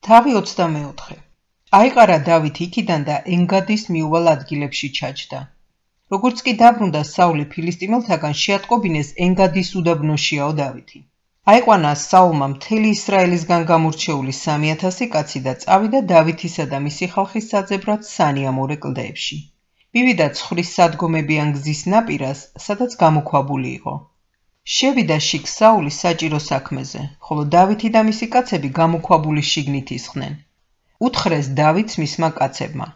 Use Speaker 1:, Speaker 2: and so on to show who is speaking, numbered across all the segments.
Speaker 1: თავი 24. აიყარა დავით იქიდან და ენგადის მიუვალ ადგილებში ჩაჯდა. როგორც კი დაბრუნდა საული ფილისტიმელთაგან, შეატყობინეს ენგადის უდაბნოშიაო დავითი. აიყვანა საულმა მთელი ისრაელისგან გამორჩეული 3000 კაცი და წავიდა დავითისა და მისი ხალხის საძებრად სანიამორე კლდეებში. მივიდა ცხრის სადგომებიან გზის ნაპირას, სადაც გამოქვაბული იყო. შევიდა შიგ საული საჭირო საქმეზე, ხოლო დავითი და მისი კაცები გამოქვაბულის შიგნით ისხდნენ. უთხრეს დავითს მისმა კაცებმა: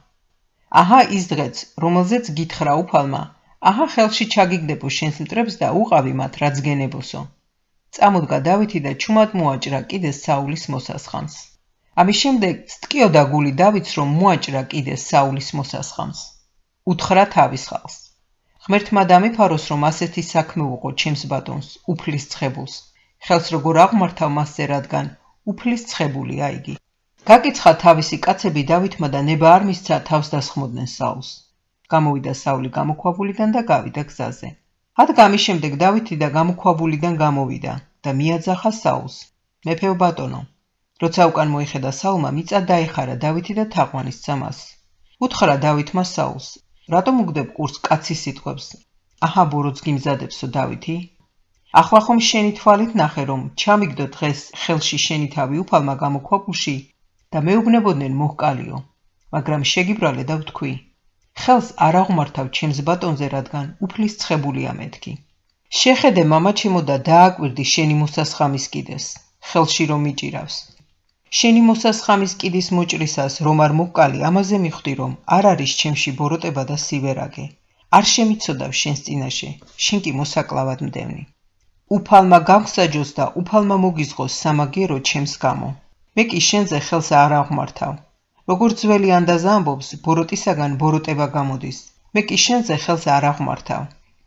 Speaker 1: აჰა ის დღეც, რომელზეც გითხრა უფალმა, აჰა ხელში ჩაგიგდებო შენს მტრებს და უყავი მათ, რაც გენებოსო. წამოდგა დავითი და ჩუმად მოაჭრა კიდეს საულის მოსასხამს. ამის შემდეგ სტკიოდა გული დავითს, რომ მოაჭრა კიდეს საულის მოსასხამს. უთხრა თავის ხალხს: ღმერთმა დამიფაროს, რომ ასეთი საქმე უყო ჩემს ბატონს, უფლის ცხებულს. ხელს როგორ აღმართავ მასზე, რადგან უფლის ცხებულია იგი. გაკიცხა თავისი კაცები დავითმა და ნება არ მისცა თავს დასხმოდნენ საულს. გამოვიდა საული გამოქვაბულიდან და გავიდა გზაზე. რადგან ამის შემდეგ დავითი და გამოქვაბულიდან გამოვიდა და მიაძახა საულს: მეფეო ბატონო. როცა უკან მოიხედა საულმა, მიწა დაეხარა დავითი და თაყვანისცა მას. უთხრა დავითმა საულს: რატომ უგდებ ყურს კაცის სიტყვებს? აჰა ბოროტს გიმზადებსო დავითი? ახლა ხომ შენი თვალით ნახე, რომ ჩამიგდო დღეს ხელში შენი თავი უფალმა გამოქვაბულში და მეუბნებოდნენ მოჰკალიო, მაგრამ შეგიბრალე და ვთქვი: ხელს არ აღმართავ ჩემს ბატონზე, რადგან უფლის ცხებულია მეთქი. შეხედე მამაჩემო და დააკვირდი შენი მოსასხამის კიდეს, ხელში რომ მიჭირავს. შენი მოსასხამის კიდის მოჭრისას რომ არ მოჰკალი, ამაზე მიხვდი, რომ არ არის ჩემში ბოროტება და სივერაგე. არ შემიცოდავ შენს წინაშე, შენ კი მოსაკლავად მდევნი. უფალმა გავსაჯოს და უფალმა მოგიზღოს სამაგიერო ჩემს გამო. მე კი შენზე ხელს არ აღმართავ. როგორც ძველი ანდაზა ამბობს, ბოროტისაგან ბოროტება გამოდის. მე კი შენზე ხელს არ აღმართავ.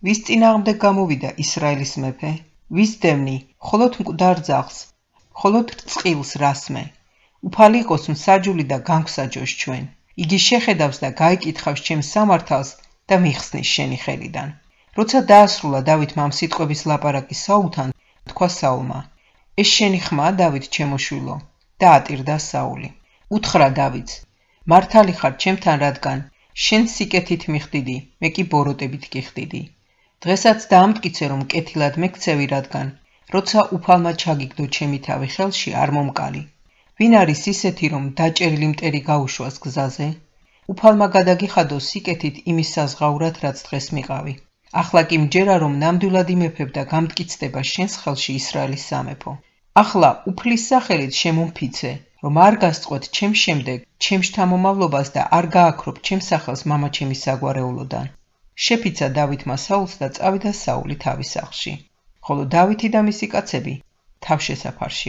Speaker 1: ვის წინააღმდეგ გამოვიდა ისრაელის მეფე? ვის დევნი? მხოლოდ მკვდარ ძაღლს, მხოლოდ წყილს რასმე. უფალი იყოს მსაჯული და განგვსაჯოს ჩვენ. იგი შეხედავს და გაიკითხავს ჩემს სამართალს და მიხსნის შენი ხელიდან. როცა დაასრულა დავითმა ამ სიტყვების ლაპარაკი საულთან, თქვა საულმა: ეს შენი ხმაა, დავით ჩემოშვილო? და ატირდა საული. უთხრა დავითს: მართალი ხარ ჩემთან, რადგან შენ სიკეთით მიხდიდი, მე კი ბოროტებით გიხდიდი. დღესაც დაამტკიცე, რომ კეთილად მეკცევი, რადგან როცა უფალმა ჩაგიგდო ჩემი თავი ხელში, არ მომკალი. ვინ არის ისეთი, რომ დაჭერილი მტერი გაუშვას გზაზე? უფალმა გადაგიხადო სიკეთით იმის საზღაურად, რაც დღეს მიყავი. ახლა კი მჯერა, რომ ნამდვილად იმეფებ და გამტკიცდება შენს ხელში ისრაელის სამეფო. ახლა უფლის სახელით შემომფიცე, რომ არ გასწყვეტ ჩემს შემდეგ ჩემს შთამომავლობას და არ გააქრობ ჩემს სახელს მამაჩემის საგვარეულოდან. შეფიცა დავითმა საულს და წავიდა საული თავის სახლში, ხოლო დავითი და მისი კაცები თავშესაფარში